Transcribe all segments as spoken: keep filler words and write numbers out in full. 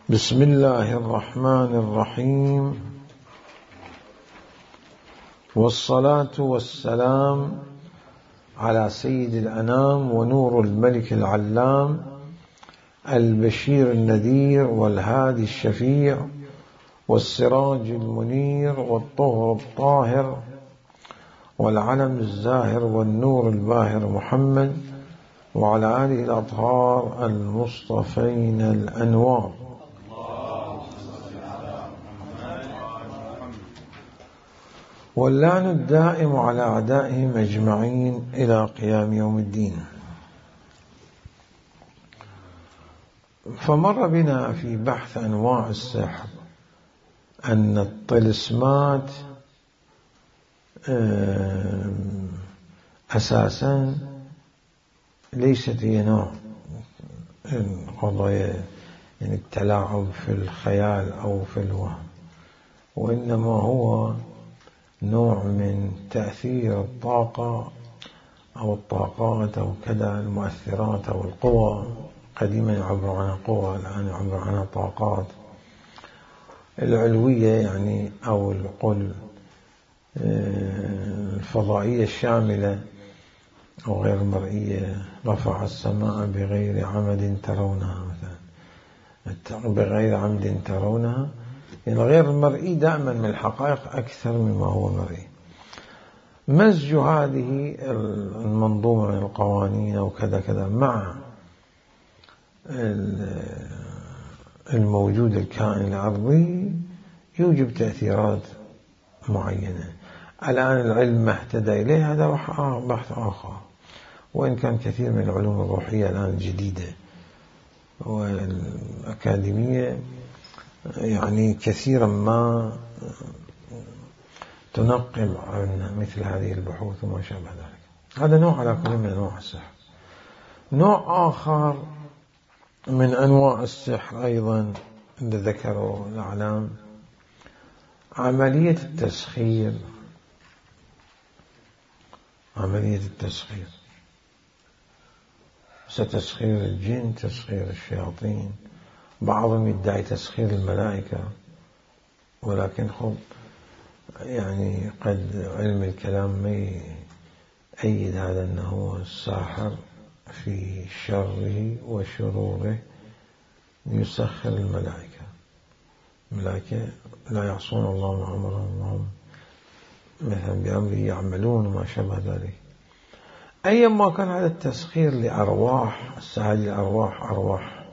بسم الله الرحمن الرحيم، والصلاة والسلام على سيد الأنام ونور الملك العلام البشير النذير والهادي الشفيع والسراج المنير والطهر الطاهر والعلم الزاهر والنور الباهر محمد وعلى آله الأطهار المصطفين الأنوار. واللعن الدائم على أعدائهم أجمعين إلى قيام يوم الدين. فمر بنا في بحث أنواع السحر أن الطلسمات أساسا ليست هي نوع قضايا يعني التلاعب في الخيال أو في الوهم، وإنما هو نوع من تأثير الطاقة أو الطاقات أو كذا المؤثرات أو القوى. قديما يعبر عنها قوى، الآن يعبر عنها طاقات العلوية يعني أو القل الفضائية الشاملة أو غير المرئية. رفع السماء بغير عمد ترونها مثلا، بغير عمد ترونها، يعني غير المرئي دائما من الحقائق أكثر مما هو مرئي. مزج هذه المنظومة من القوانين وكذا كذا مع الموجود الكائن الأرضي يوجب تأثيرات معينة. الآن العلم ما اهتدى إليه هذا بحث آخر، وإن كان كثير من العلوم الروحية الآن الجديدة والأكاديمية يعني كثيرا ما تنقب عن مثل هذه البحوث وما شابه ذلك. هذا نوع على كل من أنواع السحر. نوع آخر من أنواع السحر أيضا اللي ذكروا الأعلام عملية التسخير. عملية التسخير ستسخير الجن، تسخير الشياطين، بعضهم يدعي تسخير الملائكة، ولكن خب يعني قد علم الكلام ما يؤيد هذا أنه الساحر في شره وشروره يسخر الملائكة. الملائكة لا يعصون الله ما أمرهم وهم مثلا بأمره يعملون وما شابه ذلك. أيما كان هذا التسخير لأرواح، هذه الأرواح أرواح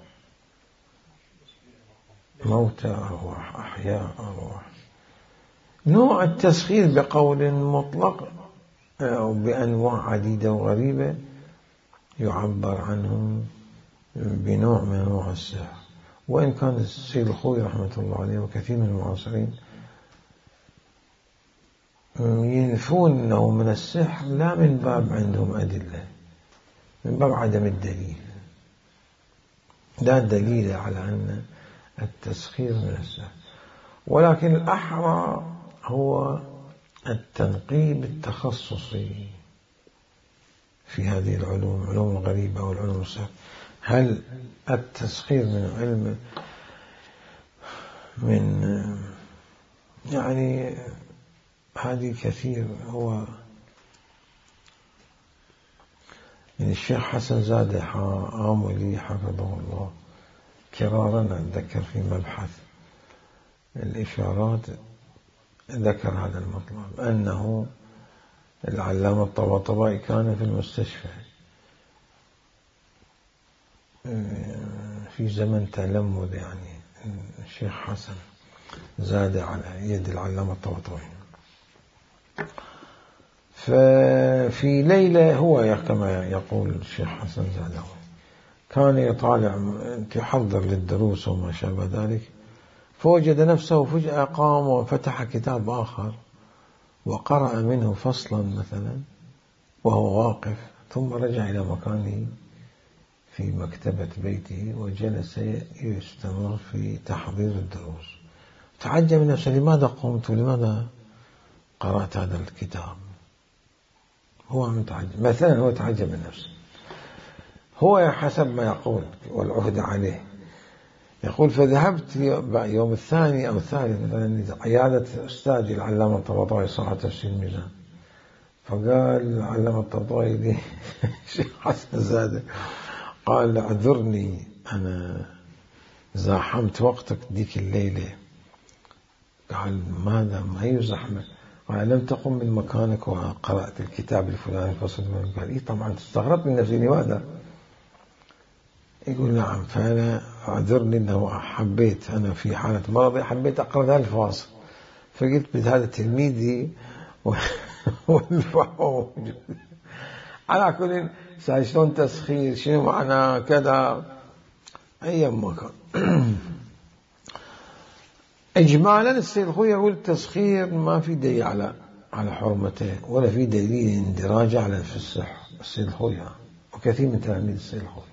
موتى، أرواح أحياء، أرواح. نوع التسخير بقول مطلق أو بأنواع عديدة وغريبة يعبر عنهم بنوع من أنواع السحر. وإن كان السيد الخوي رحمة الله عليه وكثير من المعاصرين ينفون أنه من السحر، لا من باب عندهم أدلة، من باب عدم الدليل، لا دليل على أن التسخير من السحر. ولكن الأحرى هو التنقيب التخصصي في هذه العلوم، علوم الغريبة والعلوم السحر. هل التسخير من علم من يعني هذه كثير. هو يعني الشيخ حسن زادة عاملي حفظه الله كرارا أتذكر في مبحث الإشارات ذكر هذا المطلب، أنه العلامة الطباطبائي كان في المستشفى في زمن تلمذ، يعني الشيخ حسن زادة على يد العلامة الطباطبائي. ففي ليلة هو كما يقول الشيخ حسن زادة كان يطالع يحضر للدروس وما شابه ذلك، فوجد نفسه فجأة قام وفتح كتاب آخر وقرأ منه فصلا مثلا وهو واقف، ثم رجع إلى مكانه في مكتبة بيته وجلس يستمر في تحضير الدروس. تعجب من نفسه، لماذا قمت ولماذا قرأت هذا الكتاب؟ هو متعجب مثلا، هو تعجب من نفسه. هو حسب ما يقول والعهد عليه يقول فذهبت يوم الثاني أو الثالث مثلا عيادة أستاذي العلامة الطباطبائي صاحب تفسير الميزان، فقال العلامة الطباطبائي لي الشيخ حسن زادة قال اعذرني أنا زاحمت وقتك ديك الليلة. قال ماذا ما هي زحمة؟ قال لم تقم من مكانك وقرأت الكتاب الفلاني فصل. قال إيه طبعا استغربت من نفسي لماذا؟ يقول نعم، فأنا أعذرني أنه حبيت أنا في حالة مرضي حبيت أقرأ هذا الفاصل، فقلت بهذا تلميذي والفهم على كل شلون تسخير شنو معنى كذا أي مكان. إجمالا السيد الخوي يقول التسخير ما في دليل على على حرمته ولا في دليل اندراج على في الصحة السيد الخوي وكثير من تلاميذ السيد الخوي،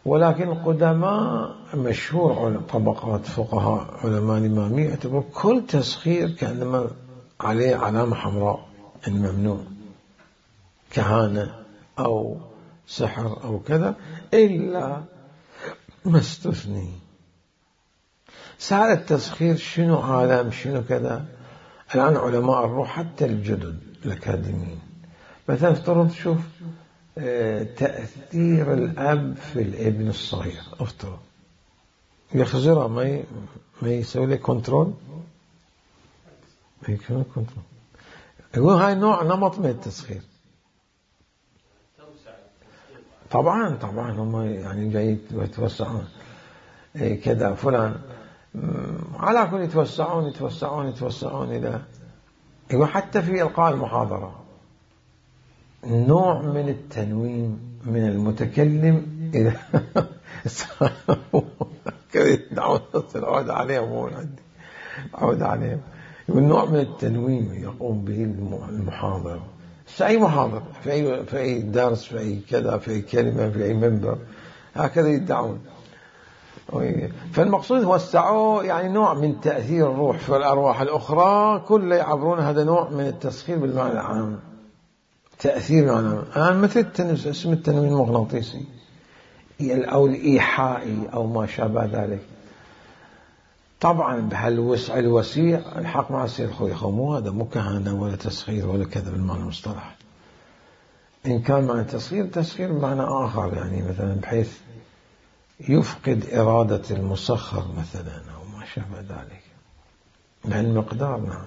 ولكن القدماء مشهور طبقات فقهاء علماء الإمامية يعتبر كل تسخير كأنما عليه علامة حمراء أن ممنوع، كهانة أو سحر أو كذا، إلا ما استثني. سأل التسخير شنو عالم شنو كذا. الآن علماء الروح حتى الجدد الأكاديميين مثلا افترض شوف تأثير الأب في الابن الصغير، افترض يخزره ما ي... ما يسوي له كنترول، ما يكون كنترول. يقول هاي نوع نمط من التسخير. طبعا طبعا هم يعني جاي يتوسعون كذا فلان على كل يتوسعون يتوسعون يتوسعون إلى يقول حتى في إلقاء المحاضرة نوع من التنوين من المتكلم إلى كذا يدعون عود عليهم مو عندي عود عليهم. يقول نوع من التنوين يقوم به المحاضر في أي محاضر في أي في أي درس في أي كذا في أي كلمة في أي منبر هكذا يدعون. فالمقصود وسعوا يعني نوع من تأثير الروح في الأرواح الأخرى كله يعبرون هذا نوع من التسخير بالمعنى العام، تأثير معنى الآن مثل التنس اسم التنوين المغناطيسي أو الإيحائي أو ما شابه ذلك. طبعا بهالوسع الوسيع الحق مع السيد الخوي مو هذا مو كهانة ولا تسخير ولا كذا بالمعنى المصطلح. إن كان معنى تسخير تسخير بمعنى آخر يعني مثلا بحيث يفقد إرادة المسخر مثلا أو ما شابه ذلك لأن مقدار. نعم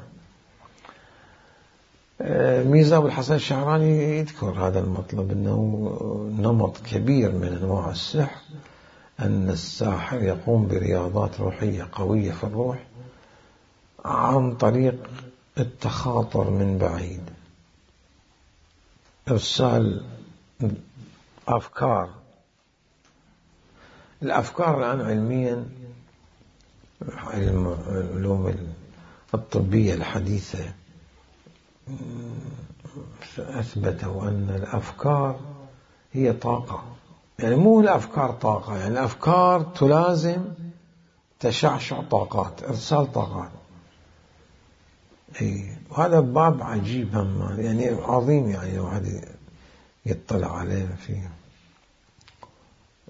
ميزة أبو الحسن الشعراني يذكر هذا المطلب أنه نمط كبير من أنواع السحر أن الساحر يقوم برياضات روحية قوية في الروح عن طريق التخاطر من بعيد، إرسال أفكار. الأفكار الآن علميا العلوم الطبية الحديثة أثبتوا أن الأفكار هي طاقة، يعني مو الأفكار طاقة، يعني الأفكار تلازم تشعشع طاقات إرسال طاقات. إيه وهذا باب عجيب هم يعني عظيم يعني الواحد يطلع عليه في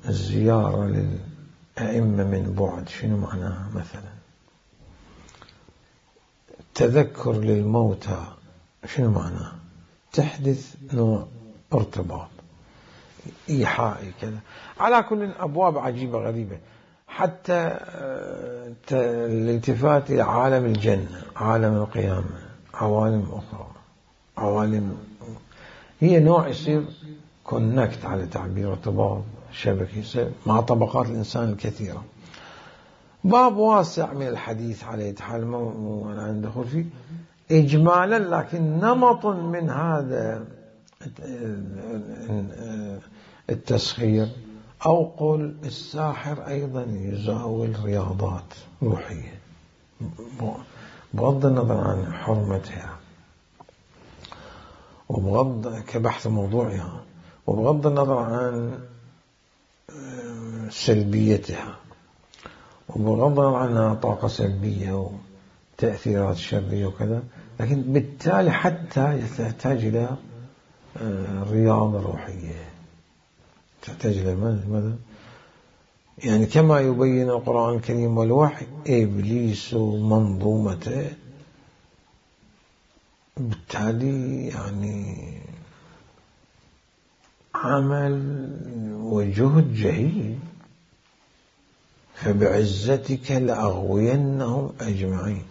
الزيارة للأئمة من بعد شنو معناها. مثلا تذكر للموتى شنو معناه؟ تحدث نوع ارتباط إيحائي كذا. على كل أبواب عجيبة غريبة. حتى الالتفات إلى عالم الجنة عالم القيامة عوالم أخرى عوالم هي نوع يصير كونكت على تعبير ارتباط شبكي مع طبقات الإنسان الكثيرة. باب واسع من الحديث عليه حال مو أنا ندخل فيه إجمالا، لكن نمط من هذا التسخير أو قل الساحر أيضا يزاول رياضات روحية بغض النظر عن حرمتها وبغض كبحث موضوعها وبغض النظر عن سلبيتها وبغض النظر عنها طاقة سلبية وتأثيرات شرية وكذا، لكن بالتالي حتى تحتاج إلى رياضة روحية، تحتاج إلى ماذا؟ يعني كما يبين القرآن الكريم والوحي إبليس ومنظومته، بالتالي يعني عمل وجهد جهيد. فبعزتك لأغوينهم أجمعين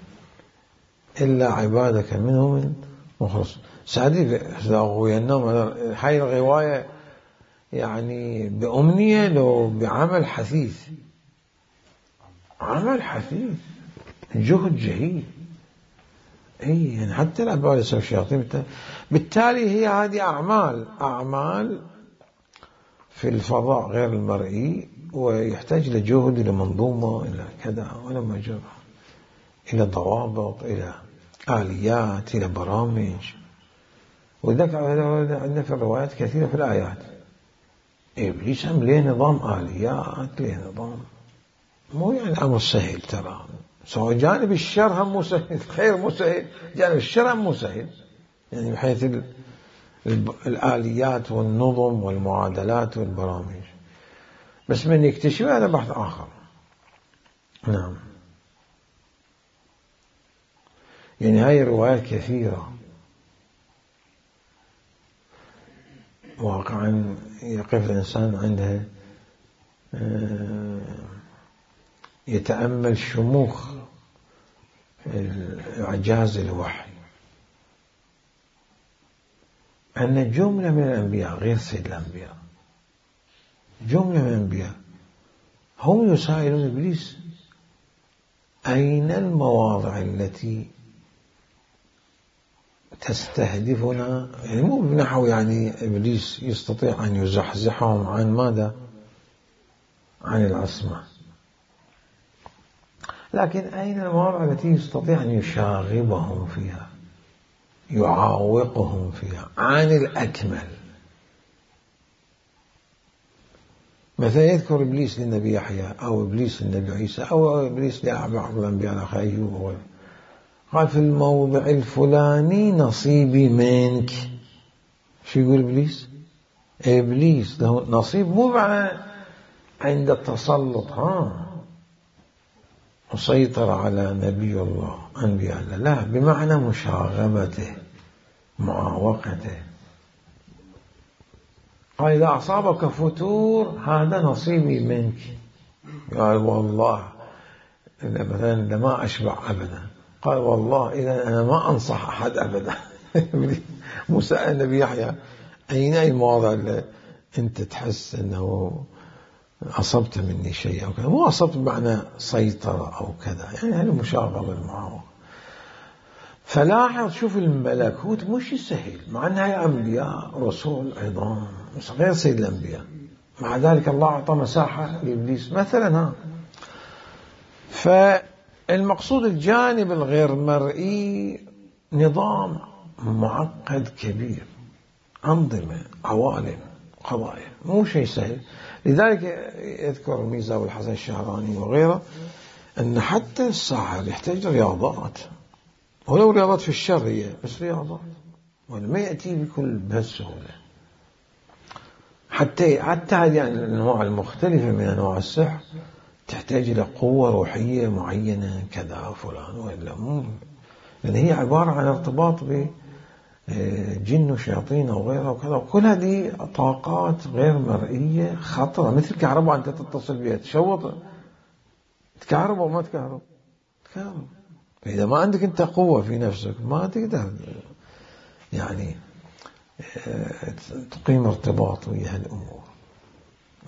إلا عبادك منهم المخلصين. سعدي لأغوينهم، هاي الغواية يعني بأمنية لو بعمل حثيث، عمل حثيث جهد جهيد. اي يعني حتى الأبواب يسوي الشياطين. بالتالي هي هذه أعمال أعمال في الفضاء غير المرئي، ويحتاج إلى جهد، إلى منظومة، إلى كذا، ولا مجرى، إلى ضوابط، إلى آليات، إلى برامج. وذلك عندنا في الروايات كثيرة في الآيات إبليس هم له نظام آليات، له نظام، مو يعني أمر سهل ترى. سواء جانب الشر هم مو سهل، الخير مو سهل، جانب الشر هم مو سهل، يعني بحيث الآليات والنظم والمعادلات والبرامج. بس من يكتشف هذا بحث آخر. نعم. يعني هاي الروايات كثيرة واقعا يقف الإنسان عندها يتأمل شموخ إعجاز الوحي، أن جملة من الأنبياء غير سيد الأنبياء، جملة من الأنبياء هم يسائلون إبليس أين المواضع التي تستهدفنا، يعني مو بنحو يعني إبليس يستطيع أن يزحزحهم عن ماذا؟ عن العصمة، لكن أين المواضع التي يستطيع أن يشاغبهم فيها، يعاوقهم فيها عن الأكمل. مثلا يذكر إبليس للنبي يحيى، أو إبليس للنبي عيسى، أو إبليس لبعض الأنبياء الأخ أيوب، قال في الموضع الفلاني نصيبي منك. شو يقول إبليس؟ إبليس له نصيب، مو معنى عند التسلط ها مسيطر على نبي الله أنبياء الله، لا، بمعنى مشاغبته، معاوقته. قال إذا أصابك فتور هذا نصيبي منك. قال والله مثلا لما أشبع أبدا. قال والله إذا أنا ما أنصح أحد أبدا. موسى النبي يحيى أين المواضع اللي أنت تحس أنه أصبت مني شيء أو كذا؟ مو أصبت بمعنى سيطرة أو كذا، يعني هذا مشاغبة المعاوقة. فلاحظ شوف الملكوت مش سهل، مع أنها أنبياء رسول عظام غير سيد الأنبياء، مع ذلك الله أعطى مساحة لإبليس مثلا. ها فالمقصود الجانب الغير مرئي نظام معقد كبير، أنظمة، عوالم، قضايا، مو شيء سهل. لذلك يذكر الميزة والحسن الشهراني وغيره أن حتى الساحر يحتاج رياضات، ولو رياضات في الشر هي بس رياضات، وما يأتي بكل بهالسهولة. حتى حتى هذه يعني الأنواع المختلفة من أنواع السحر تحتاج إلى قوة روحية معينة كذا فلان وإلا مو، لأن هي عبارة عن ارتباط بجن وشياطين وغيرها وكذا، وكل هذه طاقات غير مرئية خطرة، مثل كهرباء أنت تتصل بها تشوط، تكهرب أو ما تكهرب؟ تكهرب. فإذا ما عندك أنت قوة في نفسك ما تقدر يعني تقيم ارتباط ويا هالأمور.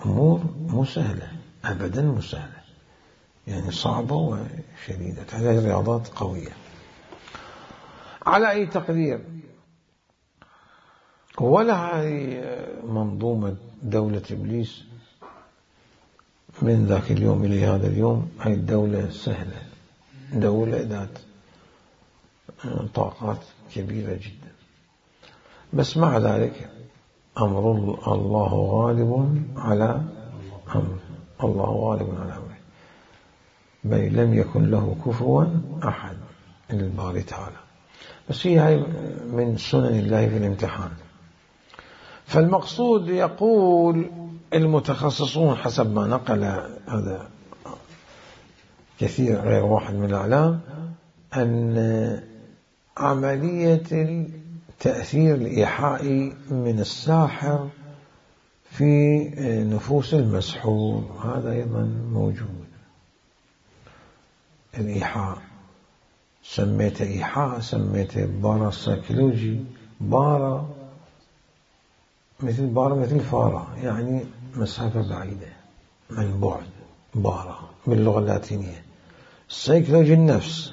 أمور مو سهلة أبدا، مو سهلة، يعني صعبة وشديدة، تحتاج رياضات قوية. على أي تقدير، ولا هذه منظومة دولة إبليس من ذاك اليوم إلى هذا اليوم هاي الدولة سهلة، دولة ذات طاقات كبيرة جدا. بس مع ذلك أمر الله غالب على أمره، الله غالب على أمره، بل لم يكن له كفوا أحد الباري تعالى. بس هي هاي من سنن الله في الامتحان. فالمقصود يقول المتخصصون حسب ما نقل هذا كثير غير واحد من الأعلام أن عملية التأثير الإيحائي من الساحر في نفوس المسحور هذا أيضا موجود. الإيحاء سميته إيحاء، سميته بارا سايكولوجي، بارا مثل بارا مثل فارا، يعني مسافة بعيدة من بعد، بارا باللغة اللاتينية. السايكولوجي النفس،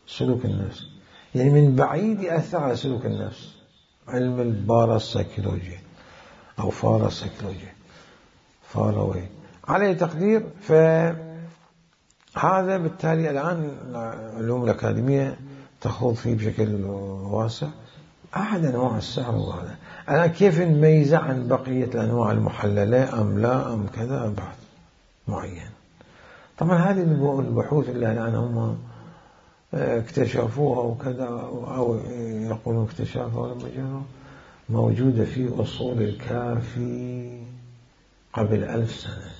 سلوك النفس، يعني من بعيد يأثر على سلوك النفس، علم البارا سايكولوجي أو فارا سايكولوجي، فاروي على تقدير. فهذا بالتالي الآن العلوم الأكاديمية تخوض فيه بشكل واسع. أحد أنواع السحر وهذا الآن كيف نميزه عن بقية الأنواع المحللة أم لا أم كذا، بحث معين. طبعا هذه البحوث اللي الآن هم اكتشفوها وكذا أو يقولون اكتشافها لما جاءوا موجودة في أصول الكافي قبل ألف سنة،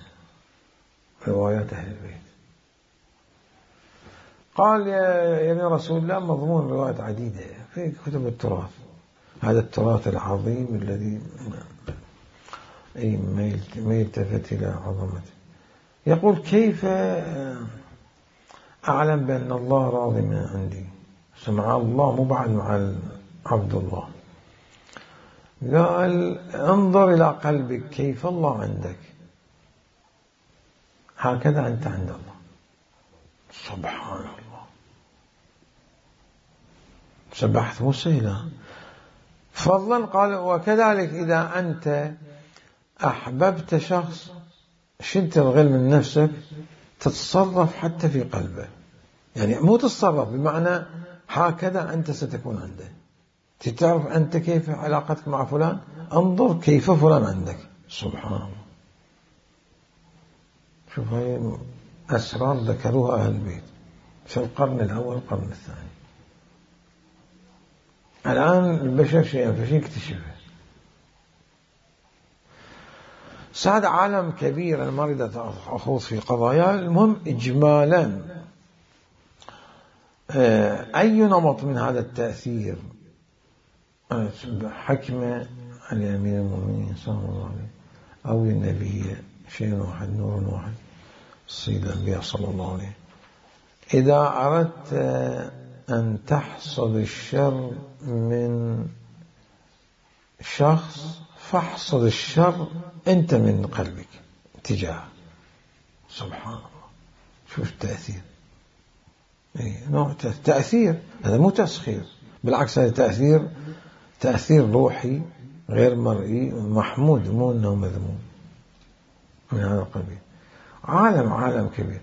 روايات أهل البيت. قال يا رسول الله مضمون روايات عديدة في كتب التراث، هذا التراث العظيم الذي أي ما يلتفت إلى عظمته. يقول كيف أعلم بأن الله راضي من عندي؟ سمع الله مو بعد مع عبد الله. قال انظر إلى قلبك كيف الله عندك، هكذا أنت عند الله. سبحان الله، سبحت موسى له فضلا. قال وكذلك إذا أنت أحببت شخص شلت الغل من نفسك تتصرف حتى في قلبه، يعني مو تتصرف بمعنى هكذا أنت ستكون عنده. تعرف أنت كيف علاقتك مع فلان، انظر كيف فلان عندك. سبحان الله، شوف هاي أسرار ذكروها أهل البيت في القرن الأول القرن الثاني. الآن البشر شيئا فشيء اكتشفه. سعد عالم كبير، أنا ما أريد أخوض في قضايا. المهم إجمالا أي نمط من هذا التأثير حكمة على أمير المؤمنين صلى الله عليه أو النبي شيء واحد نور واحد سيد الأنبياء صلى الله عليه. إذا أردت أن تحصد الشر من شخص فاحصد الشر أنت من قلبك تجاه. سبحان الله، شوف التأثير، نوع تأثير، هذا مو تسخير، بالعكس هذا تأثير تأثير روحي غير مرئي محمود، مو أنه مذموم من هذا القبيل. عالم عالم كبير.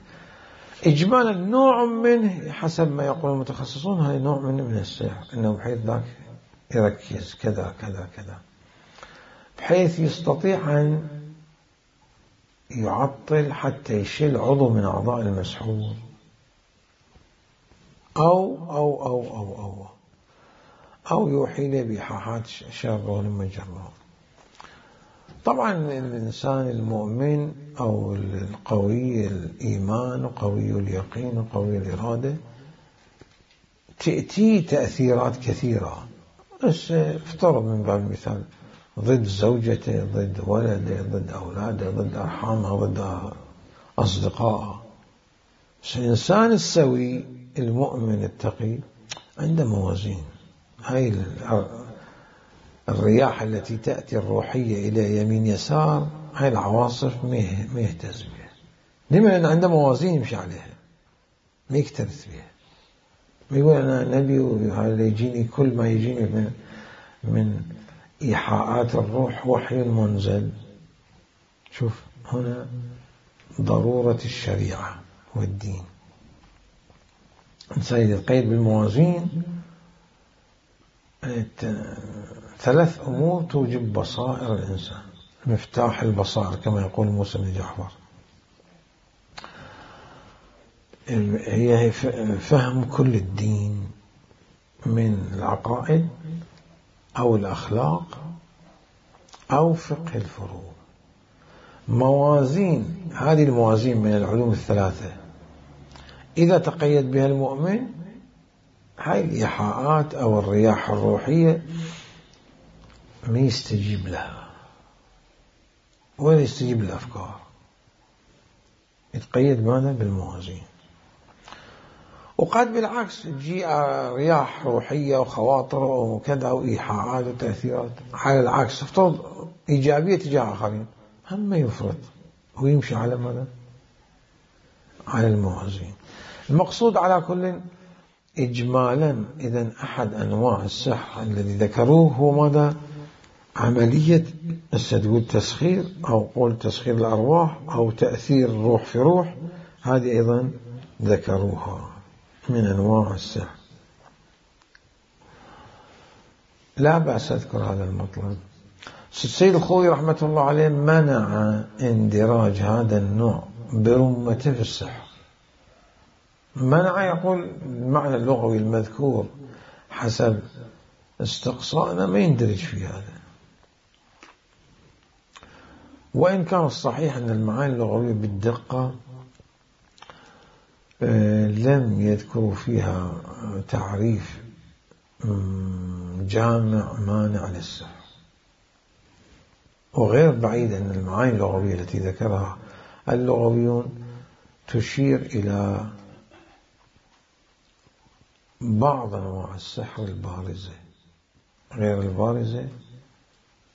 إجمالا نوع منه حسب ما يقول المتخصصون هذا نوع منه من السحر، أنه بحيث ذاك يركز كذا كذا كذا بحيث يستطيع أن يعطل حتى يشيل عضو من أعضاء المسحور أو أو أو أو أو أو يوحي له بإيحاءات شابة لما جربه. طبعا الإنسان المؤمن أو القوي الإيمان وقوي اليقين وقوي الإرادة تأتي تأثيرات كثيرة، بس افترض من باب المثال ضد زوجته، ضد ولده، ضد أولاده، ضد أرحامه، ضد أصدقائه. بس الإنسان السوي المؤمن التقي عنده موازين. هاي الرياح التي تأتي الروحية إلى يمين يسار، هاي العواصف ما يهتز بها. لما؟ لأن عنده موازين يمشي عليها، ما يكترث بها. ما يقول أنا نبي وهذا يجيني كل ما يجيني من من إيحاءات الروح وحي منزل. شوف هنا ضرورة الشريعة والدين. الإنسان يتقيد بالموازين. ثلاث أمور توجب بصائر الإنسان، مفتاح البصائر كما يقول موسى بن جعفر، هي فهم كل الدين من العقائد أو الأخلاق أو فقه الفروع. موازين، هذه الموازين من العلوم الثلاثة إذا تقيد بها المؤمن، هاي الإيحاءات أو الرياح الروحية ما يستجيب لها ولا يستجيب للأفكار، يتقيد ماذا؟ بالموازين. وقد بالعكس تجي رياح روحية وخواطر وكذا وإيحاءات وتأثيرات على العكس، افترض إيجابية تجاه آخرين، هم ما يفرط ويمشي على ماذا؟ على الموازين. المقصود على كل إجمالا، إذن أحد أنواع السحر الذي ذكروه هو ماذا؟ عملية تقول تسخير أو قول تسخير الأرواح أو تأثير روح في روح، هذه أيضا ذكروها من أنواع السحر. لا بأس أذكر هذا المطلب. السيد الخوئي رحمة الله عليه منع اندراج هذا النوع برمته في السحر، منع، يقول المعنى اللغوي المذكور حسب استقصائنا ما يندرج في هذا، وإن كان الصحيح أن المعاني اللغوية بالدقة لم يذكروا فيها تعريف جامع مانع للسحر، وغير بعيد أن المعاني اللغوية التي ذكرها اللغويون تشير إلى بعض أنواع السحر البارزة، غير البارزة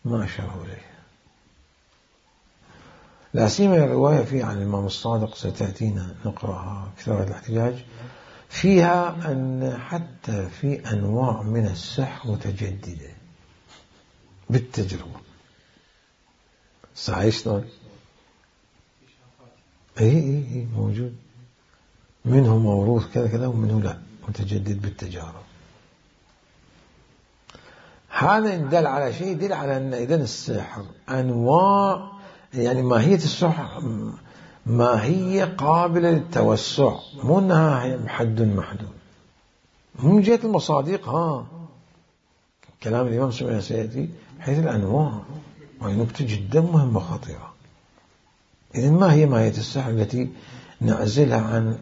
ما أشاروا إليها. لا سيما الرواية فيها عن الإمام الصادق ستأتينا نقرأها كثير الاحتجاج فيها أن حتى في أنواع من السحر متجددة بالتجربة. صحيح شلون؟ اي اي اي موجود، منه موروث كذا كذا ومنه لا متجدد بالتجارب. هذا يدل على شيء، يدل على أن إذن السحر أنواع، يعني ماهية السحر ماهية قابلة للتوسع، مو أنها حد محدود. من جهة المصادق ها كلام الإمام سمعنا سيأتي حيث الأنواع، وهي نكتة جدا مهمة خطيرة. إذن ما هي ماهية السحر التي نعزلها عن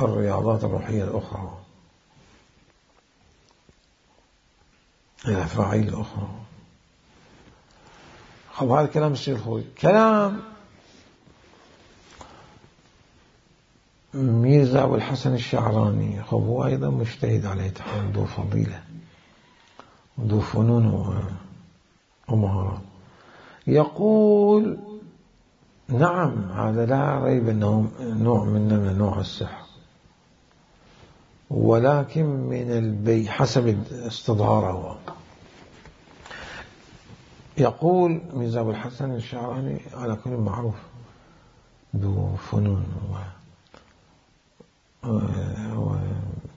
الرياضات الروحية الأخرى، الأفاعيل الأخرى؟ خب هذا كلام السيد الخوئي. كلام ميرزا أبو الحسن الشعراني، خب هو أيضا مجتهد عليه تحول، ذو فضيلة وذو فنون ومهارات. يقول نعم هذا لا ريب أنه نوع من نوع السحر، ولكن من البي حسب استظهاره. يقول ميرزا أبو الحسن الشعراني على كل معروف ذو فنون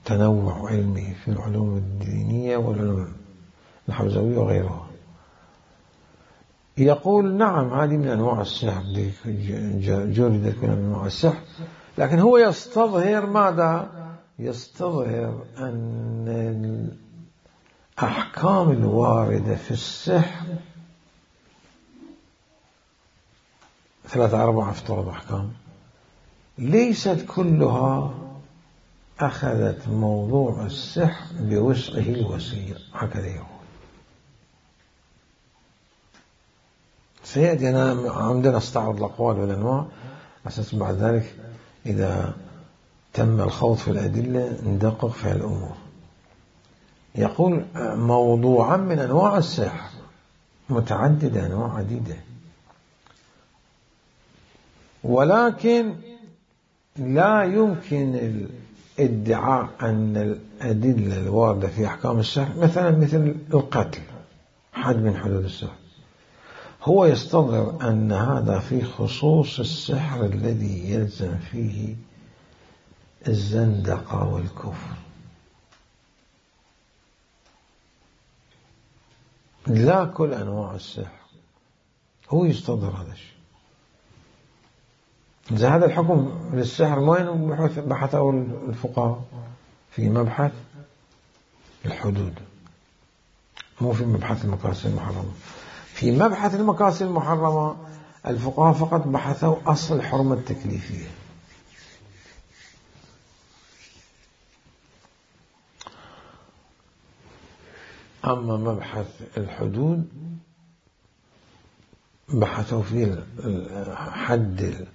وتنوع علمي في العلوم الدينية والعلوم الحوزوية وغيرها. يقول نعم هذه من أنواع السحر، جردت من أنواع السحر، لكن هو يستظهر ماذا؟ يستظهر أن الأحكام الواردة في السحر ثلاثة أربعة افترض أحكام ليست كلها أخذت موضوع السحر بوسعه الوسيع، هكذا يقول. سيأتي أنا عندنا استعرض الأقوال والأنواع أساس بعد ذلك إذا تم الخوض في الأدلة ندقق في الأمور. يقول موضوعا من أنواع السحر متعددة، أنواع عديدة، ولكن لا يمكن الادعاء أن الأدلة الواردة في أحكام السحر مثلا مثل القتل حد من حدود السحر، هو يستظهر أن هذا في خصوص السحر الذي يلزم فيه الزندقة والكفر، لا كل أنواع السحر. هو يستظهر هذا الشيء. إذا هذا الحكم للسحر وين بحثه الفقهاء؟ في مبحث الحدود، مو في مبحث المكاسب المحرمة. في مبحث المكاسب المحرمة الفقهاء فقط بحثوا أصل الحرمة التكليفية. أما مبحث الحدود بحثوا في حد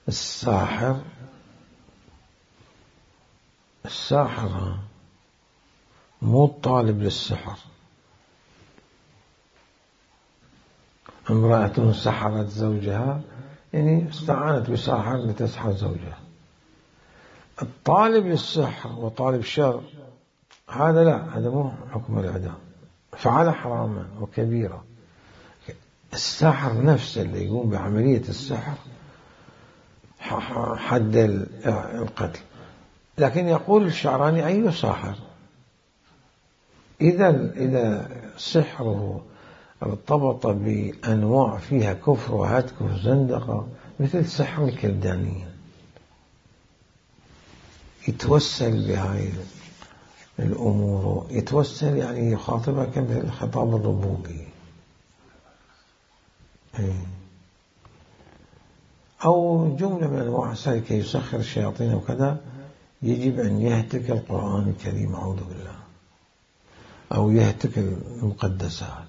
الساحر. الساحر مو الطالب للسحر. امرأة سحرت زوجها يعني استعانت بساحر لتسحر زوجها. الطالب للسحر وطالب الشر هذا لا، هذا مو حكم الإعدام، فعل حراما وكبيرة. الساحر نفسه اللي يقوم بعملية السحر حد القتل. لكن يقول الشعراني أي ساحر إذا إذا سحره ارتبط بأنواع فيها كفر وهتك وزندقة مثل سحر الكلدانيين يتوسل بهاي الأمور، يتوسل يعني يخاطبها كالخطاب الربوبي، أو جملة من أنواع ذلك يسخر الشياطين وكذا، يجب أن يهتك القرآن الكريم أعوذ بالله، أو يهتك المقدسات.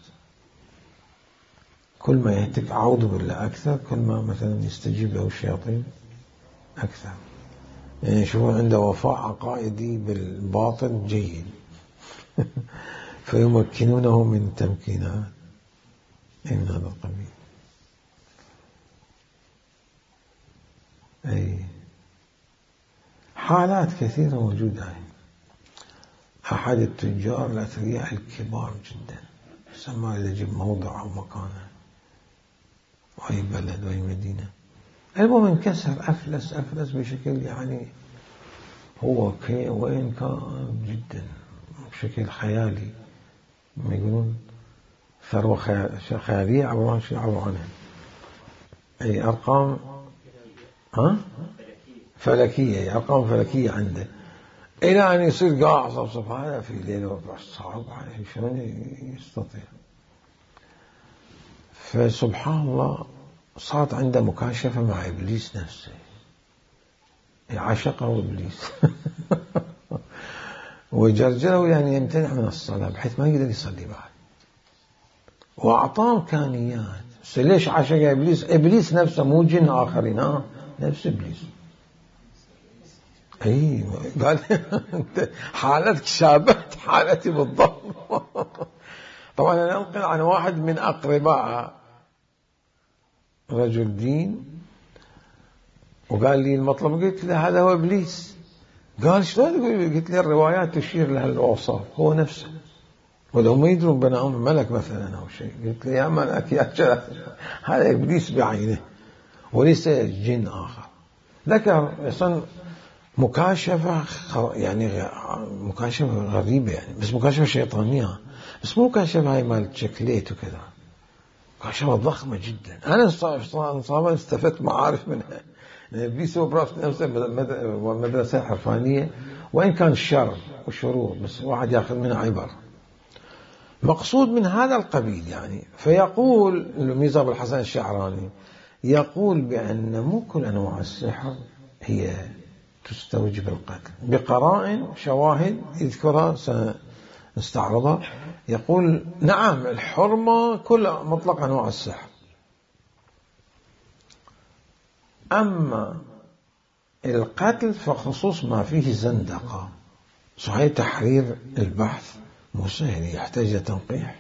كل ما يهتك أعوذ بالله أكثر كل ما مثلا يستجيب له الشياطين أكثر. يعني يشوفون عنده وفاء عقائدي بالباطل جيد فيمكنونه من تمكينات من هذا القبيل. أي حالات كثيرة موجودة. أحد التجار الأثرياء الكبار جدا سماه يجب موضع أو مكانه وأي بلد وأي مدينة، المهم انكسر أفلس أفلس بشكل يعني هو كي وين كان جدا بشكل خيالي، ما يقولون ثروة خيالية عبران شيء عبر عنها. أي أرقام ها فلكية، أرقام فلكية عنده، إلى أن يصير قاع صفصف هذا في ليلة صعب عليه شلون يستطيع. فسبحان الله صارت عنده مكاشفة مع إبليس نفسه، عشقه إبليس وجرجره يعني يمتنع من الصلاة بحيث ما يقدر يصلي بعد، وأعطاه إمكانيات. بس ليش عشق إبليس؟ إبليس نفسه مو جن آخرين، ها نفس إبليس. أي قال حالتك شابهت حالتي بالضبط. طبعا أنا أنقل عن واحد من أقرباء رجل دين وقال لي المطلب، قلت له هذا هو إبليس. قال شلون تقول؟ قلت له الروايات تشير لها الأوصاف، هو نفسه، ولو ما يدرون بناهم ملك مثلا أو شيء. قلت له يا ملك يا جلال، هذا إبليس بعينه وليس جن آخر. ذكر أصلا مكاشفة يعني مكاشفة غريبة يعني، بس مكاشفة شيطانية، بس مو مكاشفة هاي مال شكليت وكذا، مكاشفة ضخمة جدا. أنا صراحة استفدت معارف منها. إبليس هو براس نفسه مدرسة حرفانية، وإن كان الشر والشرور بس واحد يأخذ منها عبر. مقصود من هذا القبيل يعني. فيقول الميزة أبو الحسن الشعراني يقول بأن مو كل أنواع السحر هي تستوجب القتل، بقرائن شواهد يذكرها سنستعرضها. يقول نعم الحرمة كل مطلق أنواع السحر، أما القتل فخصوص ما فيه زندقة. صحيح تحرير البحث مو سهل، يحتاج تنقيح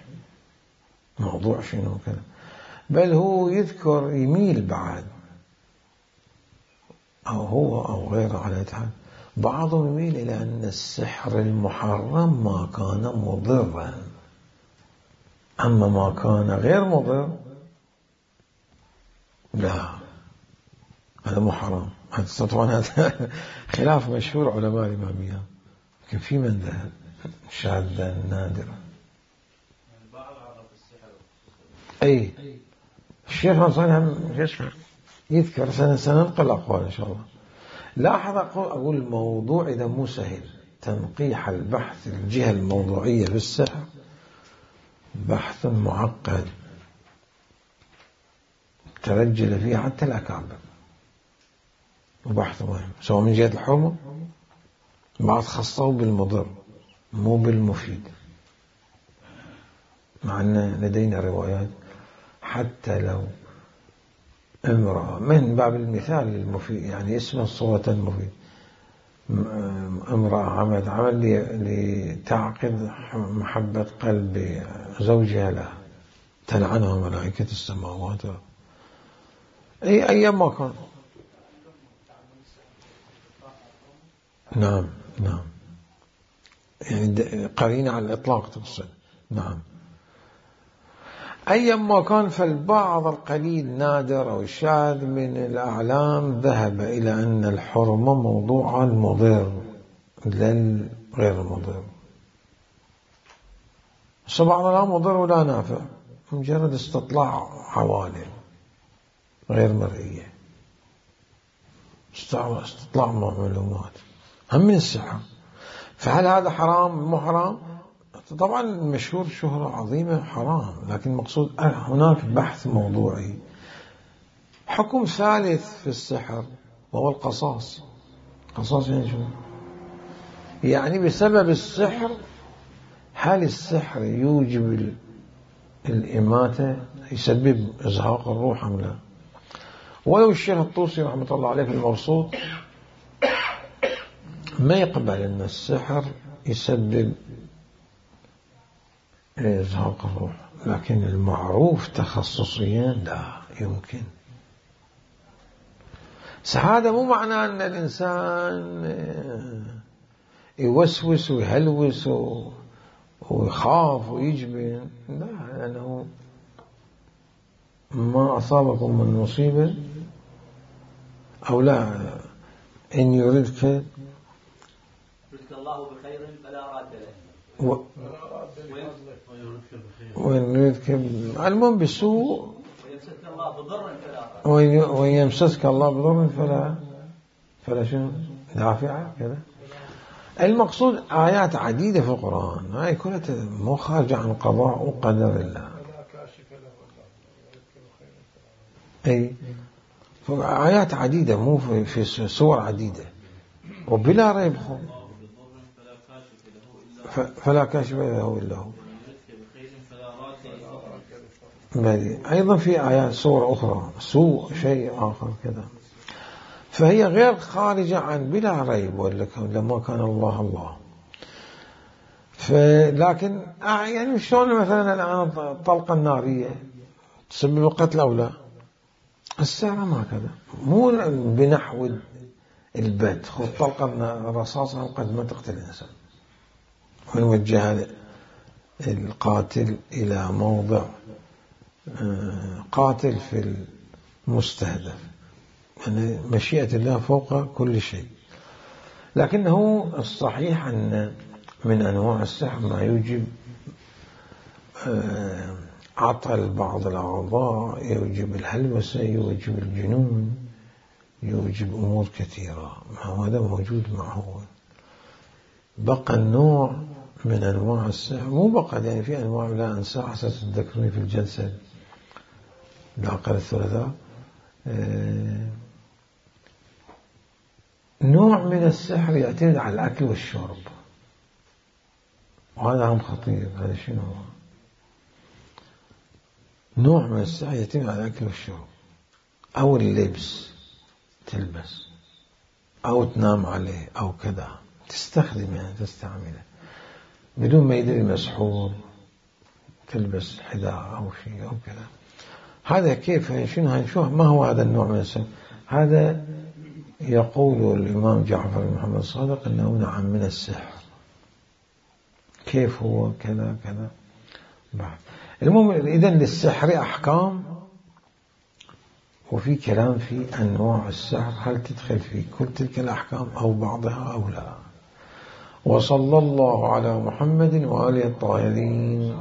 موضوع شنو كذا، بل هو يذكر يميل بعد أو هو أو غيره على الحال. بعضهم يميل إلى أن السحر المحرم ما كان مضرا، أما ما كان غير مضر لا هذا محرم. هذا طبعا هذا خلاف مشهور علماء الإمامية، لكن في من ذهب شاذا نادرا. أي الشيخ نصر يذكر، سننقل أقوال إن شاء الله. لاحظ أقول الموضوع إذا مو سهل، تنقيح البحث الجهة الموضوعية في السحر بحث معقد ترجل فيها حتى الأكابر، وبحث مهم سواء من جهة الحرمة، بعض خصه بالمضر مو بالمفيد، مع أن لدينا روايات حتى لو امرأة من باب المثال المفيد، يعني اسم الصورة المفيد، امرأة عمل عمل لتعقد محبة قلب زوجها لها، تلعنها ملائكة السماوات، أي أيام ما كان. نعم نعم، يعني قرينة على الإطلاق تقصد. نعم، أيام ما كان، فالبعض القليل نادر أو شاذ من الأعلام ذهب إلى أن الحرمة موضوع مضر لا غير مضر. بعض لا مضر ولا نافع، مجرد استطلاع عوالم غير مرئية، استطلاع معلومات هم من السحر. فهل هذا حرام مو حرام؟ طبعا مشهور شهرة عظيمة حرام، لكن المقصود هناك بحث موضوعي. حكم ثالث في السحر وهو القصاص. قصاص يعني شو؟ يعني بسبب السحر، هل السحر يوجب الإماتة، يسبب إزهاق الروح أم لا؟ ولو الشيخ الطوسي رحمة الله عليه في المبسوط ما يقبل أن السحر يسبب إزهاق الروح، لكن المعروف تخصصيا لا يمكن. هذا مو معناه أن الإنسان يوسوس ويهلوس ويخاف ويجبن، لا، لأنه ما أصابكم من مصيبة أو لا، إن يردك يردك الله بخير فلا راد له، و... وإن يردك المهم بسوء وإن يمسسك الله بضر فلا فلا شنو دافع كذا. المقصود آيات عديدة في القرآن، هاي كلها مو خارجة عن قضاء وقدر الله. أي آيات عديدة، مو في, في سور عديدة، وبلا ريب فلا كاشف له إلا هو. أيضا في آيات سور أخرى سوء شيء آخر كذا، فهي غير خارجة عن بلا ريب، لما كان الله الله. لكن يعني شلون مثلا الآن الطلقة النارية تسبب القتل أو لا؟ السحر ما كذا، مو بنحو البت، خذ طلقة رصاصة قد ما تقتل الإنسان، ونوجه القاتل إلى موضع قاتل في المستهدف، يعني مشيئة الله فوق كل شيء. لكنه الصحيح أن من أنواع السحر ما يوجب عطل بعض الأعضاء، يوجب الهلوسة، يوجب الجنون، يوجب أمور كثيرة، هذا موجود معه. بقى النوع من أنواع السحر، مو بقى يعني في أنواع لا أنسى حسب تذكرني في الجلسة العقل الثلاثاء، نوع من السحر يعتمد على الأكل والشرب، وهذا هم خطير. هذا شنو هو؟ نوع من السحر يعتمد على الأكل والشرب، أو اللبس، تلبس أو تنام عليه أو كذا، تستخدم يعني تستعمله بدون ما يدري مسحور، تلبس حذاء أو شيء أو كذا. هذا كيف شنو هنشوف ما هو هذا النوع من السحر. هذا يقول الإمام جعفر بن محمد الصادق أنه نوع من السحر. كيف هو كذا كذا بعد. المهم إذن للسحر أحكام، وفي كلام في أنواع السحر هل تدخل في كل تلك الأحكام أو بعضها أو لا. وصلى الله على محمد وآله الطاهرين.